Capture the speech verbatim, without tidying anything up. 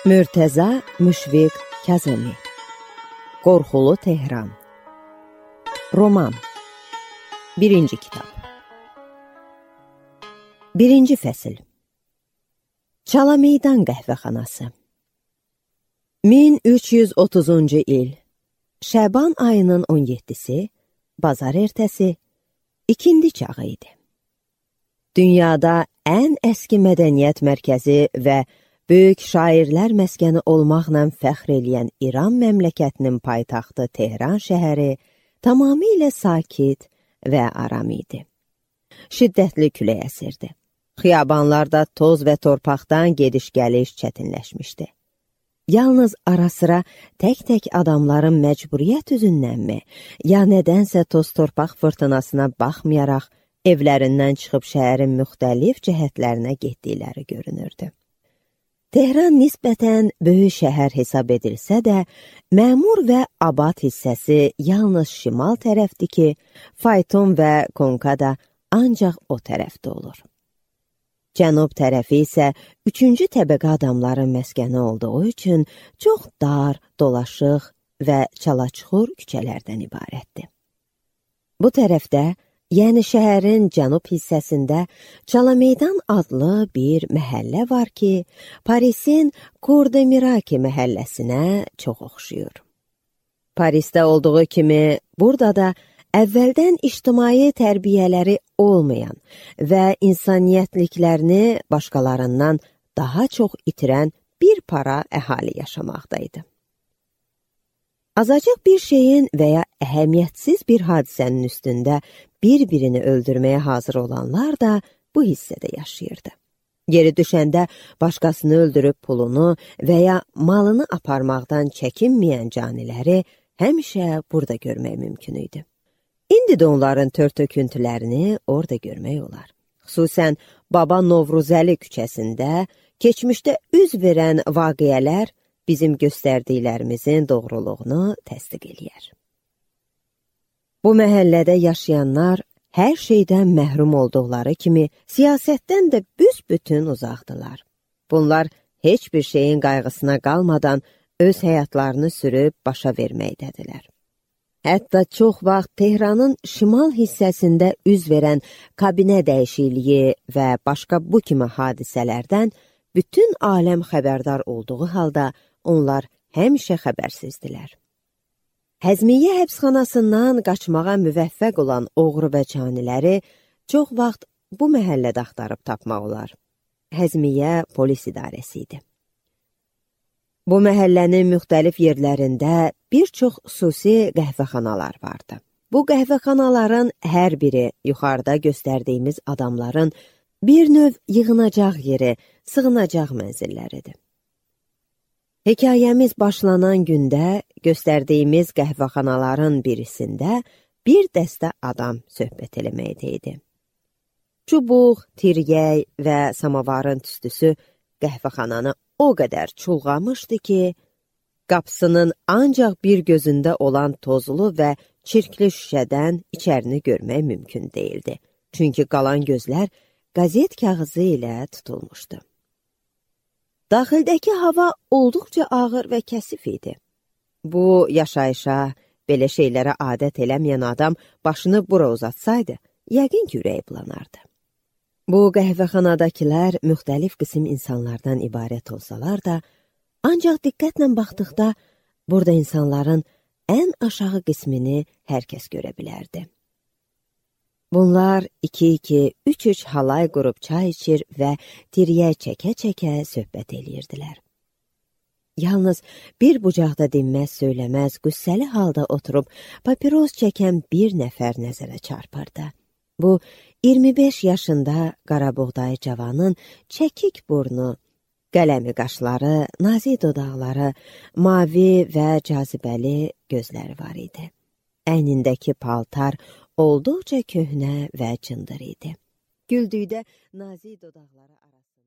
Mürtəza Müşfiq Kazemi. Qorxulu Tehran. Roman. Birinci kitab. Birinci fəsil. Çalameydan qəhvəxanası. min üç yüz otuzuncu il. Şəban ayının on yeddisi, bazar ertəsi, ikindi çağı idi. Dünyada ən əski mədəniyyət mərkəzi və böyük şairlər məskəni olmaqla fəxr eləyən İran məmləkətinin paytaxtı Tehran şəhəri tamamilə sakit və aram idi. Şiddətli külək əsirdi. Xiyabanlarda toz və torpaqdan gediş-gəliş çətinləşmişdi. Yalnız ara-sıra tək-tək adamların məcburiyyət üzünənmi, ya nədənsə toz-torpaq fırtınasına baxmayaraq evlərindən çıxıb şəhərin müxtəlif cəhətlərinə getdikləri görünürdü. Tehran nisbətən böyük şəhər hesab edilsə də, məmur və abad hissəsi yalnız şimal tərəfdir ki, fayton və konka da ancaq o tərəfdə olur. Cənub tərəfi isə üçüncü təbəqə adamların məskəni olduğu üçün çox dar, dolaşıq və çalaçuxur küçələrdən ibarətdir. Bu tərəfdə, yəni şəhərin cənub hissəsində Çalameydan adlı bir məhəllə var ki, Parisin Cour-de-Miracle məhəlləsinə çox oxşuyur. Parisdə olduğu kimi, burada da əvvəldən ictimai tərbiyələri olmayan və insaniyyətliklərini başqalarından daha çox itirən bir para əhali yaşamaqdaydı. Azacıq bir şeyin və ya əhəmiyyətsiz bir hadisənin üstündə bir-birini öldürməyə hazır olanlar da bu hissədə yaşayırdı. Yeri düşəndə başqasını öldürüb pulunu və ya malını aparmaqdan çəkinməyən caniləri həmişə burada görmək mümkün idi. İndi də onların tör-töküntülərini orada görmək olar. Xüsusən Baba Novruzəli küçəsində keçmişdə üz verən vaqiələr bizim göstərdiklərimizin doğruluğunu təsdiq eləyər. Bu məhəllədə yaşayanlar hər şeydən məhrum olduqları kimi siyasətdən də büsbütün uzaqdılar. Bunlar heç bir şeyin qayğısına qalmadan öz həyatlarını sürüb başa verməkdədirlər. Hətta çox vaxt Tehranın şimal hissəsində üz verən kabinə dəyişikliyi və başqa bu kimi hadisələrdən bütün aləm xəbərdar olduğu halda onlar həmişə xəbərsizdilər. Həzmiyyə həbsxanasından qaçmağa müvəffəq olan oğru və caniləri çox vaxt bu məhəllədə axtarıb tapmaq olar. Həzmiyyə polis idarəsi idi. Bu məhəllənin müxtəlif yerlərində bir çox xüsusi qəhvəxanalar vardı. Bu qəhvəxanaların hər biri yuxarıda göstərdiyimiz adamların bir növ yığınacaq yeri, sığınacaq mənzilləridir. Hekayəmiz başlanan gündə göstərdiyimiz qəhvəxanaların birisində bir dəstə adam söhbət eləməkdəydi. Çubuq, tiryək və samavarın tüstüsü qəhvəxananı o qədər çulğamışdı ki, qapısının ancaq bir gözündə olan tozlu və çirkli şüşədən içərini görmək mümkün değildi. Çünki qalan gözlər qazet kağızı ilə tutulmuşdu. Daxildəki hava olduqca ağır və kəsif idi. Bu yaşayışa, belə şeylərə adət eləməyən adam başını bura uzatsaydı, yəqin ki, ürəyi bulanardı. Bu qəhvəxanadakilər müxtəlif qism insanlardan ibarət olsalar da, ancaq diqqətlə baxdıqda burada insanların ən aşağı qismini hər kəs görə bilərdi. Bunlar iki-iki, üç-üç halay qurub çay içir və tiriyə çəkə-çəkə söhbət eləyirdilər. Yalnız bir bucaqda dinməz söyləməz, qüssəli halda oturub papiros çəkən bir nəfər nəzərə çarpırdı. Bu, iyirmi beş yaşında qarabuğdayı cavanın çəkik burnu, qələmi qaşları, nazik dodaqları, mavi və cazibəli gözləri var idi. Əynindəki paltar olduqca köhnə və cındır idi. Güldükdə nazik dodaqları arasında